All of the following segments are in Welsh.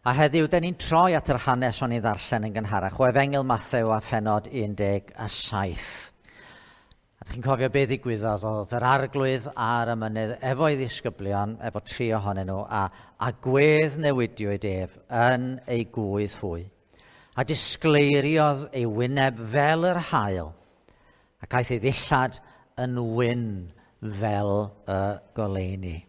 A heddiw, den ni'n troi at yr hanes o'n i ddarllen yn gynharach o Efengyl Mathew a phennod 17. A chi'n cofio beth ddigwyddodd, oedd yr Arglwydd ar y mynydd efo'i ddisgyblion, efo tri ohonyn nhw, a gwedd newidiwyd ef yn ei gwydd hwy. A disgleiriodd ei wyneb fel yr haul, ac aeth ei ddillad yn wyn fel y goleuni.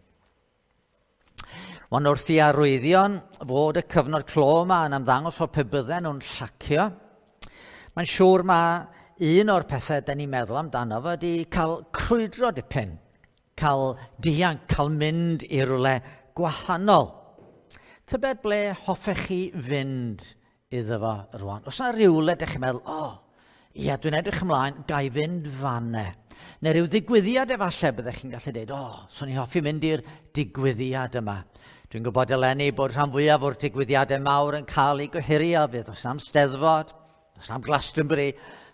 Ond wrth i arwyddion fod y cyfnod clo yma yn ymddangos fod pe bydden nhw'n llacio, mae'n siŵr mae un o'r pethau da ni'n meddwl amdano fo ydy cael crwydro dipyn, cael dianc, cael mynd i rywle gwahanol. Tybed ble hoffech chi fynd iddo fo rwan? Oes yna rywle ydych chi'n meddwl, o, oh, ia, dwi'n edrych ymlaen, ga i fynd fanne. Neu rhyw ddigwyddiad efallai byddech chi'n gallu dweud, o, oh, swn i'n hoffi mynd i'r digwyddiad yma. Dwi'n gwybod eleni bod rhan fwyaf o'r digwyddiadau mawr yn cael eu gohirio, fydd oes am Steddfod, oes am Glastonbury,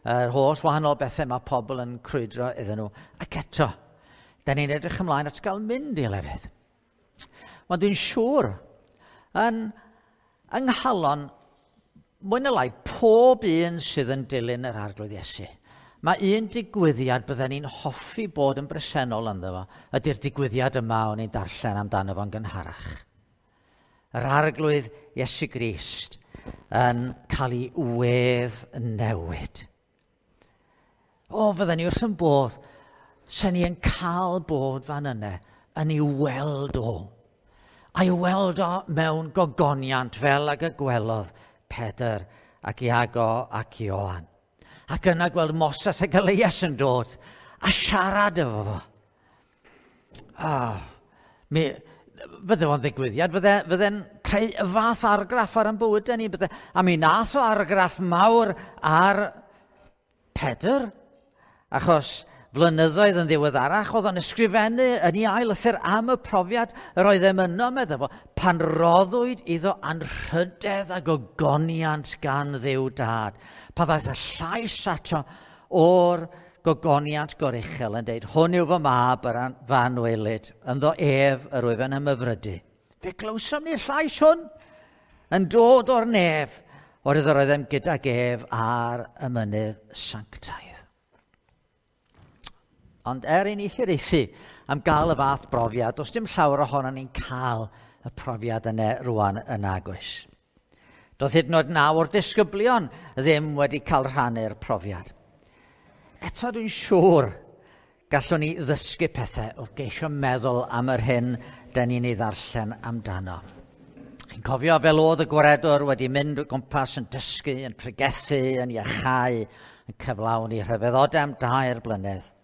yr holl wahanol bethau mae pobl yn crwydro iddyn nhw. Ac eto, da ni'n edrych ymlaen at gael mynd i lefydd. Ond dwi'n siŵr, yn yng nghalon, mwy neu lai, pob un sydd yn dilyn yr Arglwydd Iesu, mae un digwyddiad bydden ni'n hoffi bod yn bresennol ynddo fo, ydy'r digwyddiad yma o'n i'n darllen amdano fo'n gynharach. Yr Arglwydd Iesu Grist yn cael ei wedd newid. O, fydden ni wrth yn bodd, sen ni yn cael bod fan yna yn ei weld o. A'i weld o mewn gogoniant fel ag y gwelodd Pedr ac Iago ac Ioan. Ac yna gweld Moses ac Elias yn dod a siarad efo fo. Mi fydde fo'n ddigwyddiad, fydde'n creu y fath argraff ar ein bywydau ni. Bydde, a mi nath o argraff mawr ar Pedr, achos flynyddoedd yn ddiweddarach, oedd o'n ysgrifennu yn ei ail lythyr am y profiad yr oedd e'n yno, meddai fo, pan roddwyd iddo anrhydedd a gogoniant gan Dduw Dad. Pan ddaeth y llais ato o'r gogoniant goruchel yn deud, hwn yw fy mab yr fy anwylyd, ynddo ef yr wyf yn ymhyfrydu. Fe glywsom ni'r llais hwn yn dod o'r nef, o'r iddo roeddem gydag ef ar y mynydd sanctaidd. Ond er i ni hiraethu am gael y fath brofiad, does dim llawer ohonon ni'n cael y profiad yna rwan yn agos. Doedd hyd yn oed 9 o'r disgyblion ddim wedi cael rhannu'r profiad. Eto dwi'n siŵr gallwn ni ddysgu pethau o geisio meddwl am yr hyn dan ni'n ei ddarllen amdano. Chi'n cofio fel oedd y gwaredwr wedi mynd o gwmpas yn dysgu, yn pregethu, yn iachau, yn cyflawni rhyfeddodau am 3 blynedd.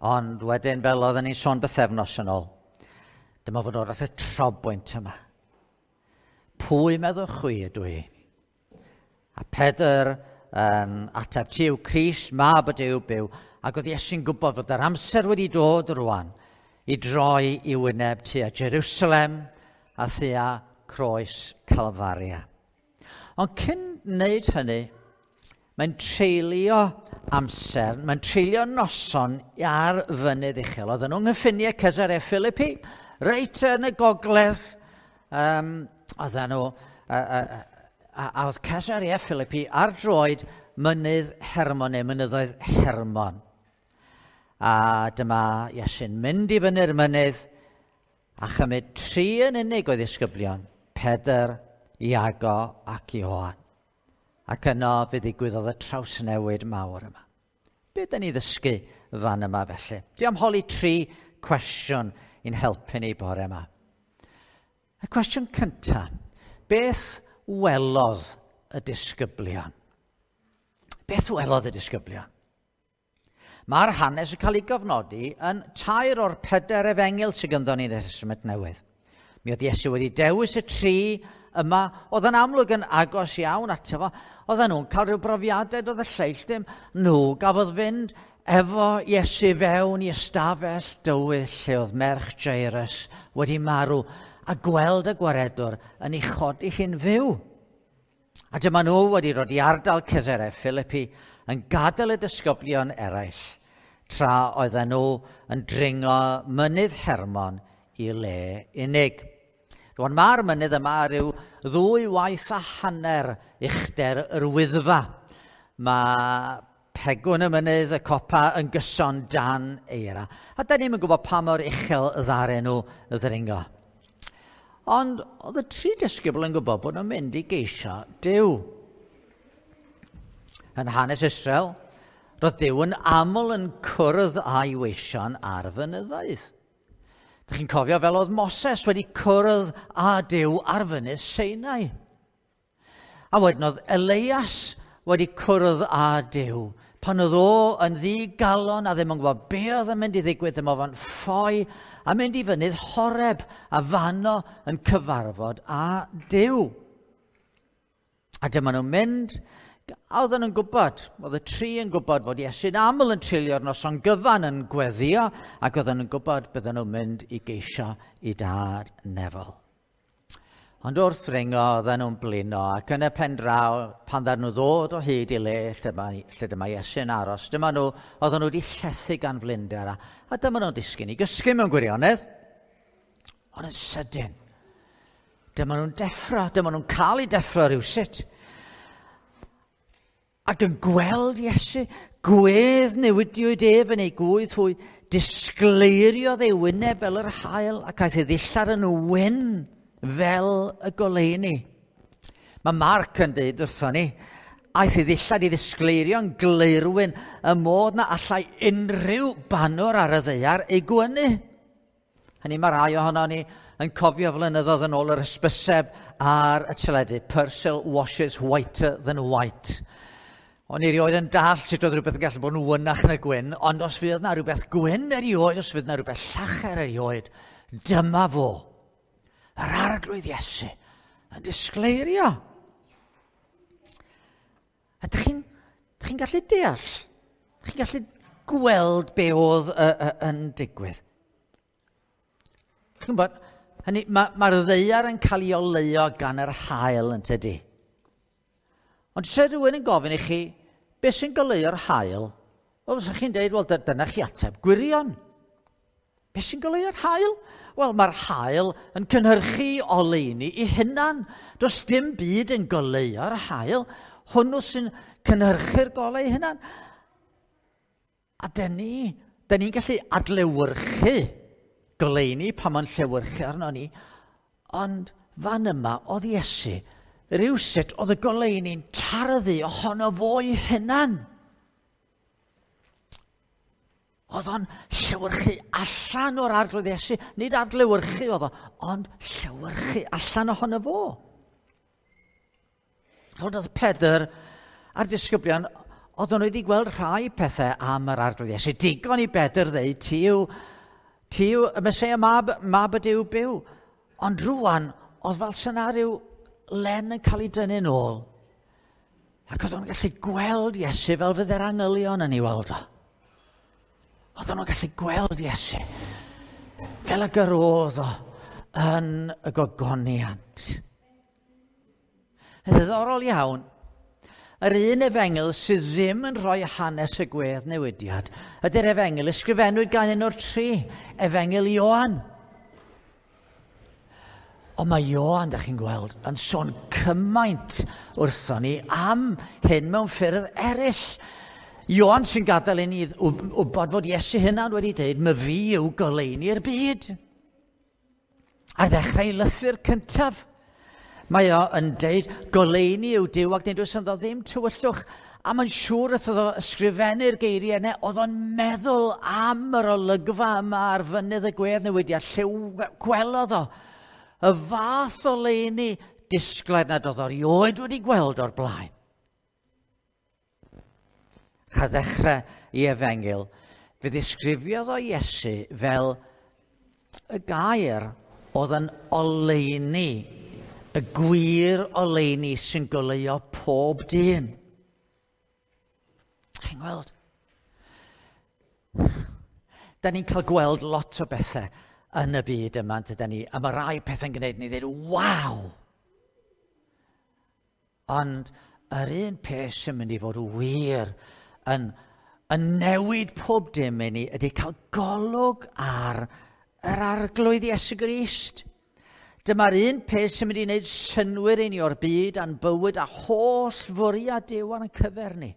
Ond wedyn, fel oedden ni'n sôn bythefnos yn ôl, dyma fod o'r at y trobwynt yma. Pwy meddwch chwi ydw i? A Pedr yn ateb, ti yw Crist, mab y Duw byw, ac oedd Iesu'n gwybod fod yr amser wedi dod rwan i droi i wyneb tua Jerusalem a thua croes Calfaria. Ond cyn wneud hynny, mae'n treulio amser, mae'n treulio noson ar fynydd uchel. Oedden nhw'n nghyffiniau Caesarea Philippi, reit yn y gogledd. Oedden nhw, a oedd Caesarea Philippi ar droed mynydd Hermon, neu mynyddoedd Hermon. A dyma Iesu'n mynd i fyny'r mynydd a chymryd 3 yn unig o'i ddisgyblion, Pedr, Iago ac Ioan. Ac yno fe ddigwyddodd y trawsnewid mawr yma. Be dyn ni ddysgu fan yma felly? Dwi am holi 3 cwestiwn i'n helpu ni bore yma. Y cwestiwn cyntaf, beth welodd y disgyblion? Beth welodd y disgyblion? Mae'r hanes yn cael ei gofnodi yn 3 o'r 4 efengyl sydd ganddo ni yn y Testament Newydd. Mi oedd Iesu wedi dewis y 3 yma, oedd yn amlwg yn agos iawn ato fo. Oedden nhw'n cael rhyw brofiadau, doedd y lleill ddim. Nhw gafodd fynd efo Iesu fewn i ystafell dywyll lle oedd merch Jairus wedi marw a gweld y gwaredwr yn ei chodi hi'n fyw. A dyma nhw wedi dod i ardal Caesarea Philippi yn gadael y disgyblion eraill, tra oedden nhw yn dringo mynydd Hermon i le unig. Rwan mae'r mynydd yma rhyw 2.5 uchder yr Wyddfa. Mae pegwn y mynydd, y copa, yn gyson dan eira. A da ni'm yn gwybod pa mor uchel ddaru nhw ddringo. Ond oedd y tri disgybl yn gwybod bod nhw'n mynd i geisio Duw. Yn hanes Israel, roedd Duw yn aml yn cwrdd â'i weision ar fynyddoedd. Dych chi'n cofio fel oedd Moses wedi cwrdd â Duw ar fynydd Sinai. A wedyn oedd Elias wedi cwrdd â Duw. Pan oedd o yn ddigalon a ddim yn gwybod be oedd yn mynd i ddigwydd, dyma fo'n ffoi a mynd i fynydd Horeb a fanno yn cyfarfod â Duw. A dyma nhw'n mynd, a oedden nhw'n gwybod, oedd y tri yn gwybod fod Iesu'n aml yn treulio'r noson gyfan yn gweddio, ac oedden nhw'n gwybod bydden nhw'n mynd i geisio i dad nefol. Ond wrth ddringo, oedden nhw'n blino, ac yn y pen draw, pan ddaru nhw ddod o hyd i le lle dyma Iesu'n aros, dyma nhw, oedden nhw wedi llethu gan flinder, a dyma nhw'n disgyn i gysgu mewn gwirionedd. Ond yn sydyn, dyma nhw'n deffro, dyma nhw'n cael eu deffro rhywsut. Ac yn gweld Iesu, gwedd newidiwyd ef yn ei gwydd hwy, disgleiriodd ei wyneb fel yr haul, ac aeth ei ddillad yn wyn fel y goleuni. Mae Marc yn dweud wrthon ni, aeth ei ddillad i ddisgleirio'n gleirwyn y modd na allai unrhyw banwr ar y ddaear ei gwynu. Hynny mae rhai ohono ni yn cofio flynyddoedd yn ôl yr hysbyseb ar y teledu, Persil washes whiter than white. O'n i erioed yn dallt sut oedd rhywbeth yn gallu bod yn wynach na gwyn, ond os fydd na rhywbeth gwyn erioed, os fydd na rhywbeth llacher erioed, dyma fo. Yr Arglwydd Iesu yn disgleirio. A dych chi'n gallu deall? Dych chi'n gallu gweld be oedd yn digwydd? Chi'n gwybod, hynny, mae'r ddaear yn cael ei oleuo gan yr haul yn tydi. Ond se rhywun yn gofyn i chi, beth sy'n goleuo'r haul? Wel, fysa chi'n dweud, wel, dyna chi ateb gwirion. Beth sy'n goleuo'r haul? Wel, mae'r haul yn cynhyrchu oleuni i hunan. Does dim byd yn goleuo'r haul. Hwnnw sy'n cynhyrchu'r golau ei hunan. A dyn ni'n gallu adlewyrchu goleuni pan mae'n llewyrchu arno ni. Ond fan yma oedd Iesu, rhywsut oedd y goleuni'n tarddu ohono fo'i hunan. Oedd o'n llewyrchu allan o'r Arglwydd Iesu. Nid adlewyrchu oedd o, ond llewyrchu allan ohono fo. Ond oedd Pedr a'r disgyblion, oedden nhw wedi gweld rhai pethau am yr Arglwydd Iesu. Digon i Bedr ddeud, ti yw y Meseia, mab y Duw byw. Ond rwan, oedd fel syna rhyw len yn cael ei dynnu'n ôl. Ac oedd nhw'n gallu gweld Iesu fel fydde'r angylion yn ei weld o. Oedden nhw'n gallu gweld Iesu fel y gyrodd o yn y gogoniant. Yn ddiddorol iawn, yr un efengyl sydd ddim yn rhoi hanes y gwedd newidiad ydy'r efengyl ysgrifennwyd gan un o'r tri, Efengyl Ioan. Ond mae Ioan, dach chi'n gweld, yn sôn cymaint wrthon ni am hyn mewn ffyrdd eraill. Ioan sy'n gadael i ni wybod fod Iesu hunan wedi dweud, my fi yw goleuni'r byd. Ar ddechrau lythyr cyntaf, mae o yn deud, goleuni yw Duw ac nid oes ynddo ddim tywyllwch. A mae'n siŵr wrth iddo ysgrifennu'r geiriau yna, oedd o'n meddwl am yr olygfa yma ar fynydd y gwedd newidiad, lle gwelodd o y fath o leuni disglair nad oedd o erioed wedi gweld o'r blaen. Ar ddechrau i efengyl, fe ddisgrifiodd o Iesu fel y gair oedd yn oleuni, y gwir oleuni sy'n goleuo pob dyn. Chi'n gweld? Da ni'n cael gweld lot o bethau yn y byd yma, dyda ni, a mae rai pethau'n gwneud ni ddweud, waw! Ond yr un peth sy'n mynd i fod wir yn newid pob dim i ni ydy cael golwg ar yr Arglwydd Iesu Grist. Dyma'r un peth sy'n mynd i wneud synnwyr i ni o'r byd a'n bywyd a holl fwriad Duw ar ein cyfer ni.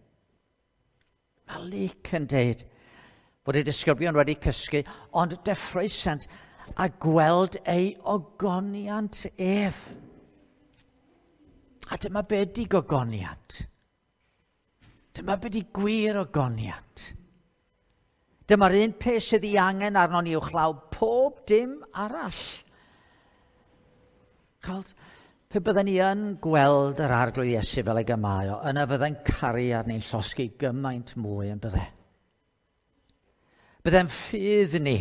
Mae Luc yn deud bod y disgyblion wedi cysgu, ond deffroesant a gweld ei ogoniant ef. A dyma be di gogoniant. Dyma be di gwir ogoniant. Dyma'r un peth sydd ei angen arnon ni uwchlaw pob dim arall. Chald, pe bydden ni yn gweld yr Arglwydd Iesu fel ag y mae o, yna fydde'n caru arni'n llosgi gymaint mwy yn bydde. Bydde'n ffydd ni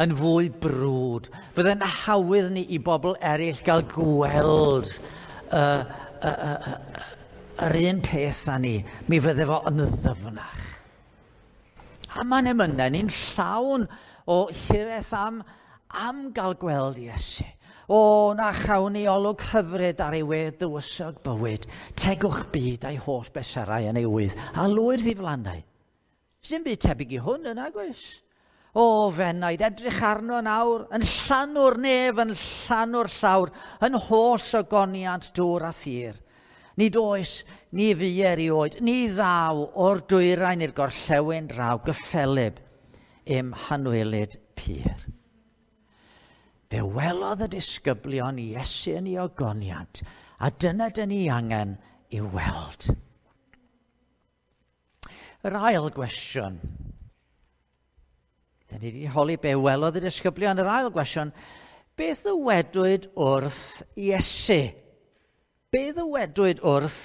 yn fwy brwd. Bydde'n hawydd ni i bobl eraill gael gweld yr un peth â ni. Mi fydde fo yn ddyfnach. A mae'n emynau ni'n llawn o hiraeth am gael gweld Iesu. O, na chawn ni olwg hyfryd ar ei wedd dywysog bywyd, tegwch byd a'i holl beserau yn ei wydd, a lwyr ddiflannau. Sdim byd tebyg i hwn yn agos. O, fenaid, edrych arno nawr, yn llanw'r nef, yn llanw'r llawr, yn holl ogoniant dŵr a thir. Nid oes, ni fu erioed, ni ddaw o'r dwyrain i'r gorllewin draw gyffelyb i'm hanwylyd pur. Fe welodd y disgyblion Iesu yn ei ogoniant, a dyna dyn ni angen i weld. Yr ail gwestiwn. Dyn ni wedi holi be welodd y disgyblion. Yr ail gwestiwn, beth ddywedwyd wrth Iesu? Be ddywedwyd wrth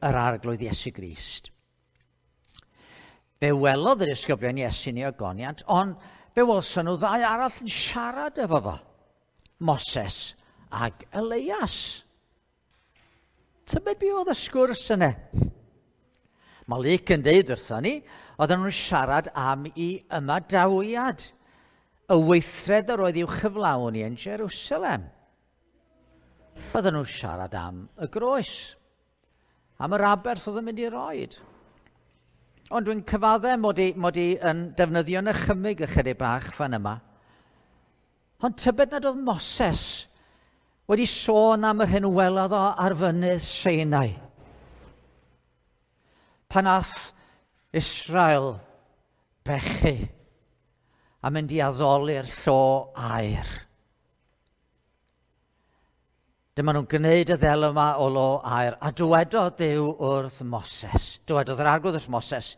yr Arglwydd Iesu Grist? Fe welodd y disgyblion Iesu yn ei ogoniant, ond fe welson nhw ddau arall yn siarad efo fo. Moses ag Elias. Tybed be oedd y sgwrs yna? Mae Luc yn deud wrthon ni, oedden nhw'n siarad am ei ymadawiad, y weithred yr oedd i'w chyflawni yn Jerusalem. Oedden nhw'n siarad am y groes, am yr aberth oedd yn mynd i roed. Ond dwi'n cyfadde mod i yn defnyddio nychymyg ychydig bach fan yma. Ond tybed nad oedd Moses wedi sôn am yr hyn welodd o ar fynydd Sinai. Pan ath Israel bechu a mynd i addoli'r llo aur. Dyma nhw'n gwneud y ddel yma o lo aur, a dywedodd Duw wrth Moses, dywedodd yr Arglwydd wrth Moses,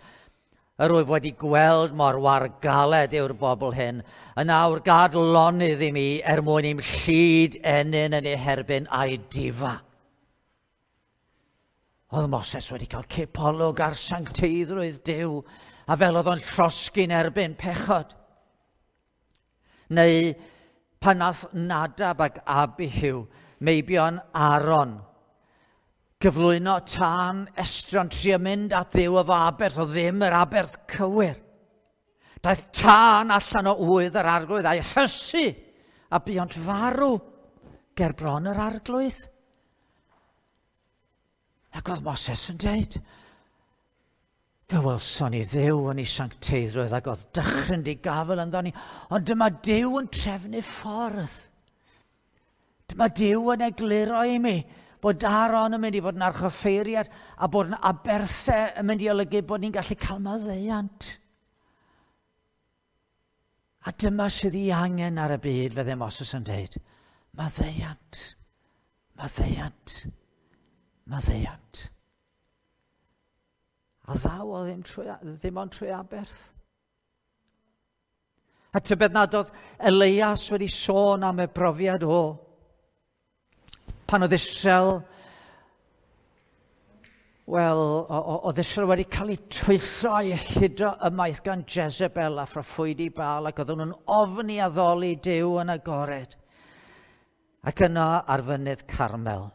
yr wyf wedi gweld mor wargaled yw'r bobl hyn, yn awr gad lonydd i mi er mwyn i'm llid ennyn yn ei herbyn a'i difa. Oedd Moses wedi cael cipolwg ar sancteiddrwydd Duw, a fel oedd o'n llosgi'n erbyn pechod. Neu pan nath Nadab ac Abihu, meibion Aaron, gyflwyno tân estron trio mynd at Dduw efo aberth, o ddim yr aberth cywir. Daeth tân allan o ŵydd yr Arglwydd a'i hysu, a buont farw ger bron yr Arglwydd. Ac oedd Moses yn dweud, fe welson ni Dduw yn ei sancteiddrwydd ac oedd dychryn di gafel ynddo ni, ond dyma Duw yn trefnu ffordd. Dyma Duw yn egluro i mi bod Aaron yn mynd i fod yn archoffeiriad a bod yn aberthau yn mynd i olygu bod ni'n gallu cael maddeuant. A dyma sydd ei angen ar y byd, fydde Moses yn dweud, maddeuant, maddeuant, maddeuant. A ddaw o ddim ond trwy aberth. A tybed nad oedd Elias wedi sôn am y brofiad o. Pan oedd Israel, wel, oedd Israel wedi cael ei twyllo a'i hudo ymaith gan Jezebel a phroffwydi Baal, ac oedden nhw'n ofni addoli Duw yn agored. Ac yna ar fynydd Carmel.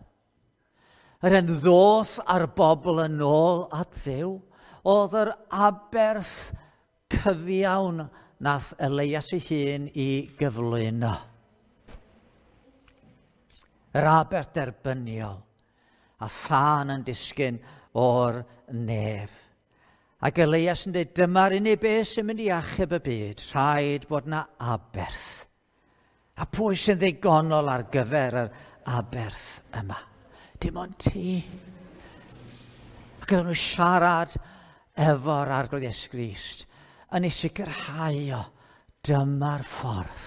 Yr hen ddoth a'r bobl yn ôl at Dduw, oedd yr aberth cyfiawn nath Elias ei hun i gyflwyno. Yr aberth derbyniol a thân yn disgyn o'r nef. Ac Elias yn dweud, dyma'r unig beth sy'n mynd i achub y byd, rhaid bod na aberth. A pwy sy'n ddigonol ar gyfer yr aberth yma? Dim ond ti. Ac oedden nhw siarad efo'r Arglwydd Iesu Grist yn ei sicrhau o, dyma'r ffordd.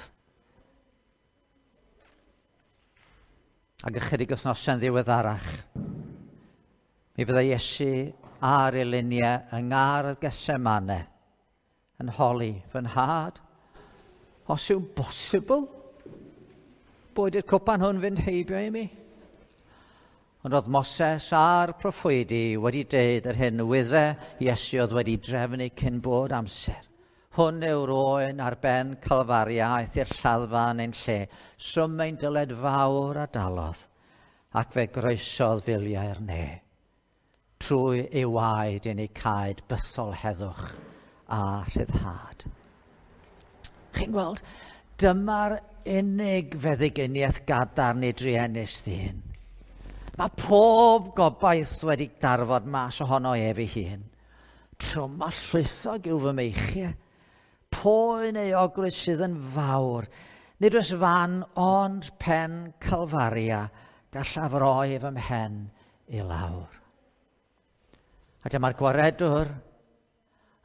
Ac ychydig wythnosau'n ddiweddarach, mi fyddai Iesu ar ei luniau yng ngardd Gethsemane yn holi fy nhad, os yw'n bosibl boed i'r cwpan hwn fynd heibio i mi. Ond oedd Moses a'r proffwydi wedi deud yr hyn wydde Iesu oedd wedi drefnu cyn bod amser. Hwn yw'r oen ar ben Calfaria aeth i'r lladdfa yn ein lle, swm ein dyled fawr a dalodd, ac fe groesodd filiau'r ne. Trwy ei waed i ni caed bythol heddwch a rhyddhad. Chi'n gweld, dyma'r unig feddyginiaeth gadarn i druenus ddyn. Mae pob gobaith wedi darfod mas ohono ef ei hun. Trwm a llwythog yw fy meichiau. Poen euogrwydd sydd yn fawr. Nid oes fan ond pen Calfaria gallaf roi fy mhen i lawr. A dyma'r gwaredwr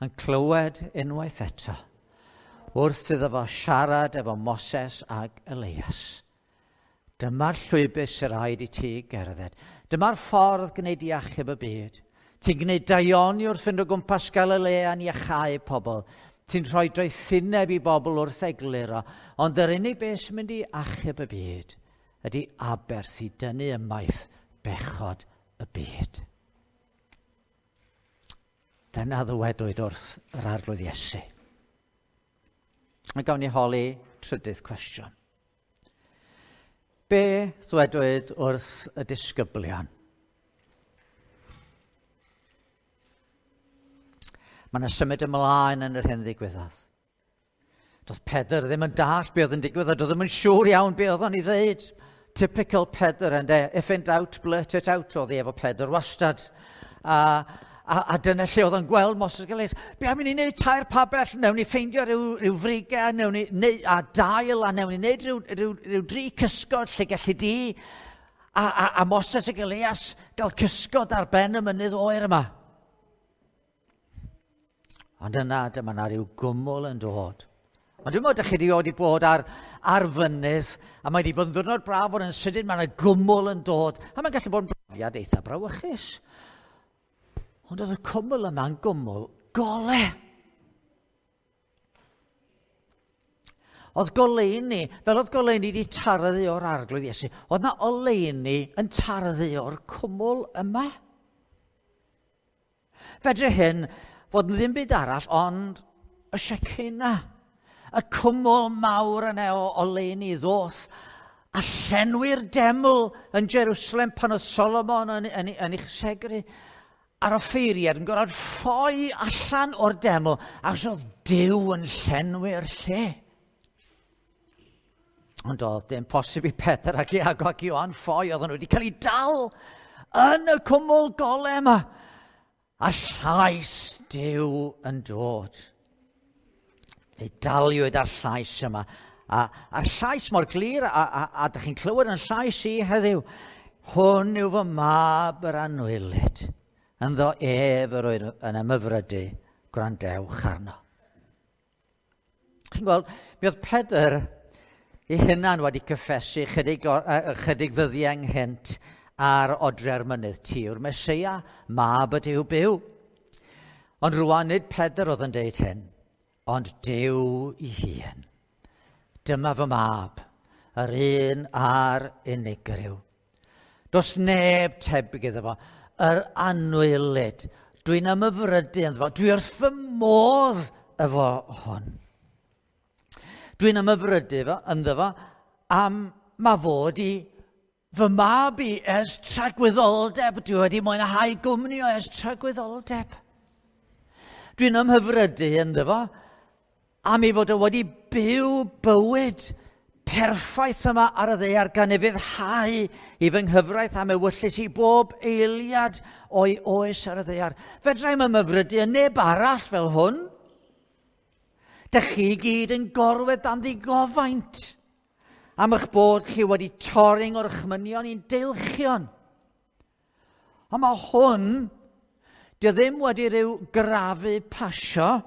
yn clywed unwaith eto wrth iddo fo siarad efo Moses ag Elias. Dyma'r llwybr sy'n rhaid i ti gerdded. Dyma'r ffordd gwneud i achub y byd. Ti'n gwneud daioni wrth fynd o gwmpas Galilea yn iachau pobl. Ti'n rhoi doethineb i bobl wrth egluro. Ond yr unig beth sy'n mynd i achub y byd ydy aberth i dynnu ymaith bechod y byd. Dyna ddywedwyd wrth yr Arglwydd Iesu. A gawn ni holi trydydd cwestiwn. Be ddwedwyd wrth y disgyblion? Mae yna symud ymlaen yn yr hyn ddigwyddodd. Doedd Pedr ddim yn dallt be oedd yn digwydd, a doedd ddim yn siŵr iawn be oedd o'n ei ddeud. Typical Pedr, ynde? If in doubt, blurt it out, oedd hi efo Pedr wastad. A dyna lle oedd o'n gweld Moses ac Elias. Be am i ni wneud tair pabell? Newn ni ffeindio rhyw frigau, newn ni neu, a dail, a newn ni wneud rhyw dri cysgod lle gallu di a Moses ac Elias gael cysgod ar ben y mynydd oer yma. Ond yna, dyma na rhyw gwmwl yn dod. Ond dwi'n meddwl, ydych chi wedi bod ar fynydd, a mae wedi bod yn ddiwrnod braf fod yn sydyn, mae yna gwmwl yn dod, a mae'n gallu bod yn brofiad eitha brawychus. Ond oedd y cwmwl yma'n gwmwl gole. Oedd goleuni, fel oedd goleuni wedi tarddu o'r Arglwydd Iesu, oedd na oleuni yn tarddu o'r cwmwl yma. Fedre hyn fod yn ddim byd arall ond y Shekinah. Y cwmwl mawr yna o oleuni ddoth a llenwi'r deml yn Jerusalem pan oedd Solomon yn ei chysegru. A'r offeiriad yn gorfod ffoi allan o'r deml achos oedd Duw yn llenwi'r lle. Ond oedd dim posib i Pedr ac Iago ac Ioan ffoi, oedden nhw wedi cael eu dal yn y cwmwl gole yma. A llais Duw yn dod. Fe daliwyd ar llais yma. A'r llais mor glir, a dych chi'n clywed yn llais i heddiw, hwn yw fy mab yr anwylyd. Ynddo ef yr oedd yn ymhyfrydu, gwrandewch arno. Chi'n gweld, mi oedd Pedr ei hunan wedi cyffesu chydig ddyddiau ynghynt ar odre'r mynydd, ti yw'r Meseia, mab y Duw byw. Ond rwan nid Pedr oedd yn deud hyn, ond Duw ei hun. Dyma fy mab, yr un a'r unigryw. Does neb tebyg iddo fo, yr anwylyd. Dwi'n ymhyfrydu ynddo fo, dwi wrth fy modd efo hwn. Dwi'n ymhyfrydu ynddo fo am ma fod i fy mab i ers tragwyddoldeb. Dwi wedi mwynhau gwmni o ers tragwyddoldeb. Dwi'n ymhyfrydu ynddo fo am ei fod o wedi byw bywyd perffaith yma ar y ddaear gan ei fyddhau i fy nghyfraith am ewyllys i bob eiliad o'i oes ar y ddaear. Fedra i'm ymhyfrydu yn neb arall fel hwn. Dych chi gyd yn gorwedd dan ddigofaint. Am eich bod chi wedi torri ngorchmynion i'n deilchion. Ond mae hwn, dio ddim wedi rhyw grafu pasio.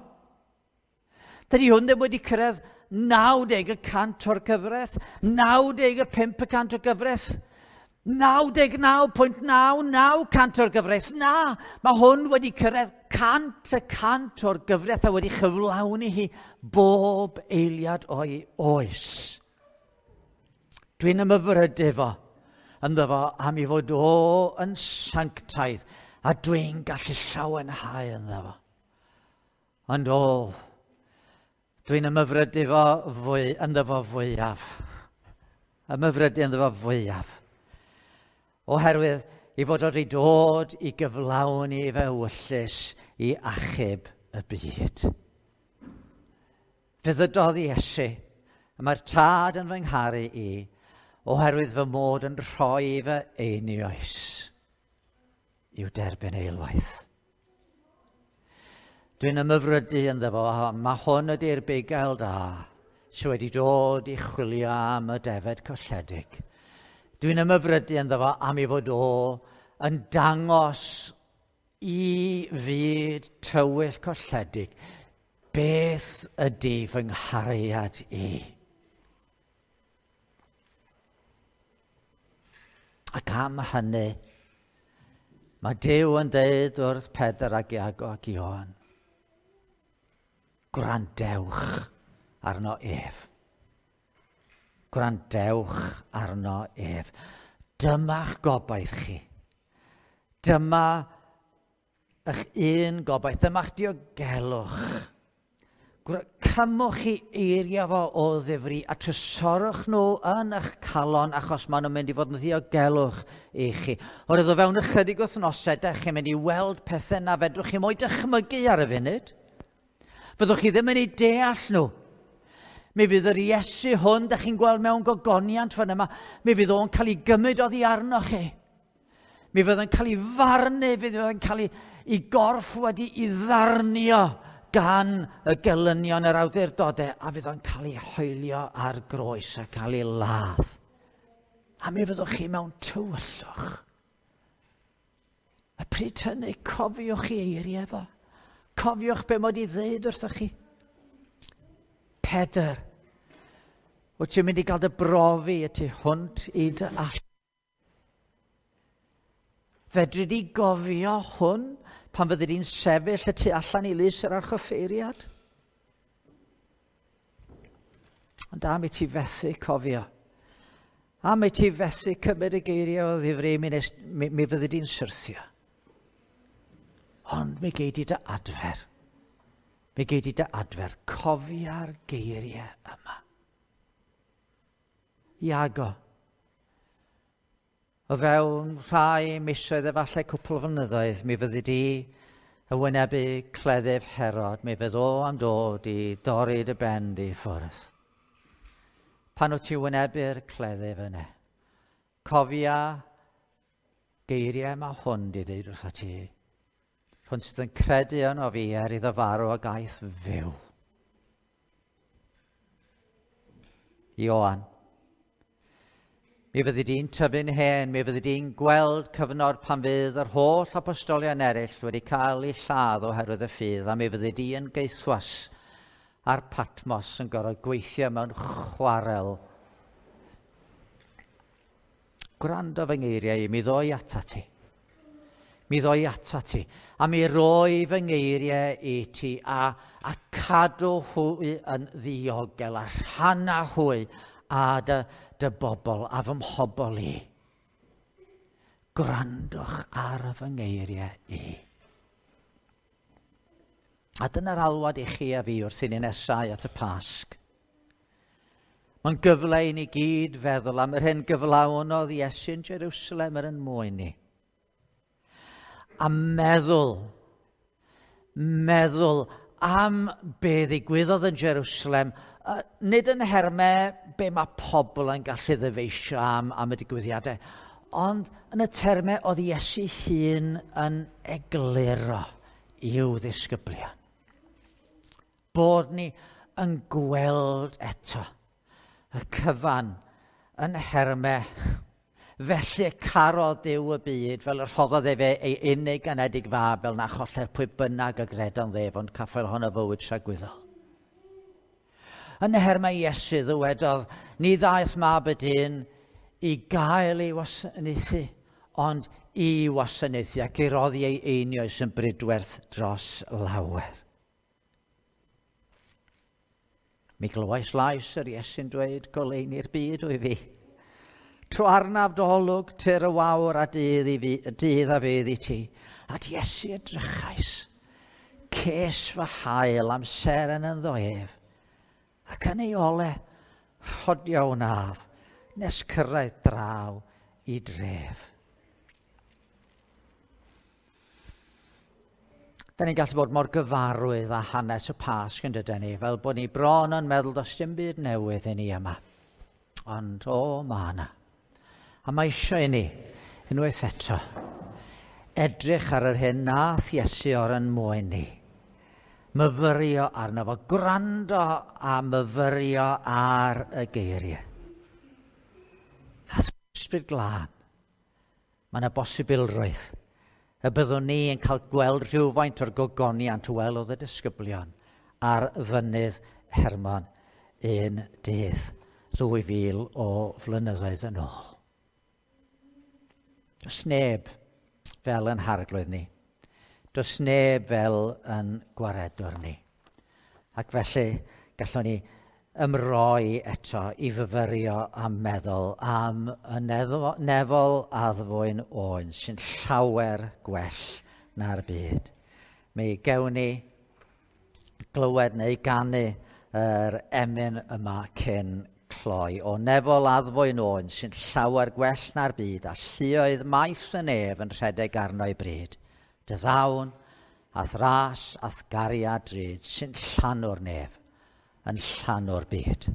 Dydy hwn ddim wedi cyrraedd 90% o'r gyfraith, 95% o'r gyfraith, 99.99% o'r gyfraith. Na, mae hwn wedi cyrraedd 100% o'r gyfraith a wedi chyflawni hi bob eiliad o'i oes. Dwi'n ymhyfrydu fo ynddo fo am ei fod o yn sanctaidd a dwi'n gallu llawenhau ynddo fo. Ond o, dwi'n ymhyfrydu fo fwy, ynddo fo fwyaf. Ymhyfrydu ynddo fo fwyaf. Oherwydd i fod wedi dod i gyflawni fe ewyllys i achub y byd. Fe ddydodd Iesu, y mae'r Tad yn fy ngharu i, oherwydd fy mod yn rhoi fy einioes i'w derbyn eilwaith. Dwi'n ymhyfrydu ynddo fo, mae hwn ydy'r bugail da sydd wedi dod i chwilio am y defed colledig. Dwi'n ymhyfrydu ynddo fo am ei fod o yn dangos i fyd tywyll colledig beth ydy fy nghariad i. Ac am hynny, mae Duw yn deud wrth Pedr ac Iago ac Ioan, gwrandewch arno ef. Gwrandewch arno ef. Dyma'ch gobaith chi. Dyma eich un gobaith. Dyma'ch diogelwch. Cymwch chi eiriau fo o ddifri a trysorwch nhw yn eich calon achos maen nhw'n mynd i fod yn ddiogelwch i chi. Oherwydd o fewn ychydig wythnosau, dych chi'n mynd i weld pethau na fedrwch chi mo'i dychmygu ar y funud. Fyddwch chi ddim yn ei deall nhw. Mi fydd yr Iesu hwn, dych chi'n gweld mewn gogoniant fan yma, mi fydd o'n cael ei gymryd oddi arnoch chi. Mi fydd o'n cael ei farnu, fydd o'n cael ei gorff wedi ei ddarnio gan y gelynion yr awdurdodau, a fydd o'n cael ei hoelio ar groes a cael ei ladd. A mi fyddwch chi mewn tywyllwch. A pryd hynny, cofiwch chi eiriau fo. Cofiwch be mod i ddweud wrthoch chi. Pedr, wyt ti'n mynd i gael dy brofi y tu hwnt i dy allu. Fedri di gofio hwn pan fyddi di'n sefyll y tu allan i lys yr archoffeiriad? Ond am i ti fethu cofio, am i ti fethu cymryd y geiriau o ddifri, mi fyddi di'n syrthio. Ond mi gei di dy adfer. Mi gei di dy adfer. Cofia'r geiriau yma. Iago, o fewn rhai misoedd efallai cwpl o flynyddoedd, mi fyddi di y wynebu cleddyf Herod, mi fydd o am dod i dorri dy ben di ffwrdd. Pan wyt ti wynebu'r cleddyf yna, cofia geiriau mae hwn di ddeud wrtho ti. Hwn sydd yn credu yno fi er iddo farw a gaeth fyw. Ioan, mi fyddi di'n tyfu'n hen, mi fyddi di'n gweld cyfnod pan fydd yr holl apostolion eraill wedi cael eu lladd oherwydd y ffydd, a mi fyddi di yn gaethwas ar Patmos yn gorfod gweithio mewn chwarel. Gwrando fy ngeiriau i, mi ddoi atat ti. Mi ddoi atat ti, a mi roi fy ngeiriau i ti, a cadw hwy yn ddiogel, a rhanna hwy a dy bobl, a fy mhobl i. Gwrandwch ar fy ngeiriau i. A dyna'r alwad i chi a fi wrth i ni nesau at y Pasg. Mae'n gyfle i ni gyd feddwl am yr hyn gyflawnodd Iesu yn Jerusalem er yn mwyn ni. A meddwl am be ddigwyddodd yn Jerusalem, nid yn nhermau be mae pobl yn gallu ddyfeisio am y digwyddiadau, ond yn y termau oedd Iesu hun yn egluro i'w ddisgyblion. Bod ni yn gweld eto y cyfan Yn nhermau, felly carodd Duw y byd fel y rhoddodd efe ei unig anedig fab fel na choller pwy bynnag y gredo'n ddef, ond caffael ohono fywyd tragwyddol. Yn nhermau Iesu ddywedodd, ni ddaeth mab y dyn i gael ei wasanaethu, ond i wasanaethu ac i roddi ei einioes yn bridwerth dros lawer. Mi glywais lais yr Iesu'n dweud, goleuni'r byd wyf fi. Tro arnaf dy olwg, tyr y wawr a dydd, i fi, dydd a fydd i ti. At Iesu edrychais, ces fy hael am seren ynddo ef, ac yn ei ole, rhodio wnaf, nes cyrraedd draw i dref. Da ni'n gallu bod mor gyfarwydd â hanes y Pasg yn dydyn ni, fel bod ni bron yn meddwl does dim byd newydd i ni yma. Ond o, ma' yna. A mae eisiau i ni, unwaith eto, edrych ar yr hyn nath Iesu o'r yn mwyn ni. Myfyrio arno fo, gwrando a myfyrio ar y geiriau. A Ysbryd Glân, mae yna bosibilrwydd y byddwn ni yn cael gweld rhywfaint o'r gogoniant welodd y disgyblion ar fynydd Hermon un dydd, 2000 o flynyddoedd yn ôl. Does neb fel yn harglwydd ni. Does neb fel yn gwaredwr ni. Ac felly gallwn ni ymroi eto i fyfyrio a meddwl am y nefol addfwyn oen sy'n llawer gwell na'r byd. Mi gewn ni glywed neu ganu yr emyn yma cyn cloi. O nefol addfwyn oen sy'n llawer gwell na'r byd a lluoedd maith y nef yn rhedeg arno ei bryd. Dy ddawn a'th ras a'th gariad drud sy'n llanw'r nef, yn llanw'r byd.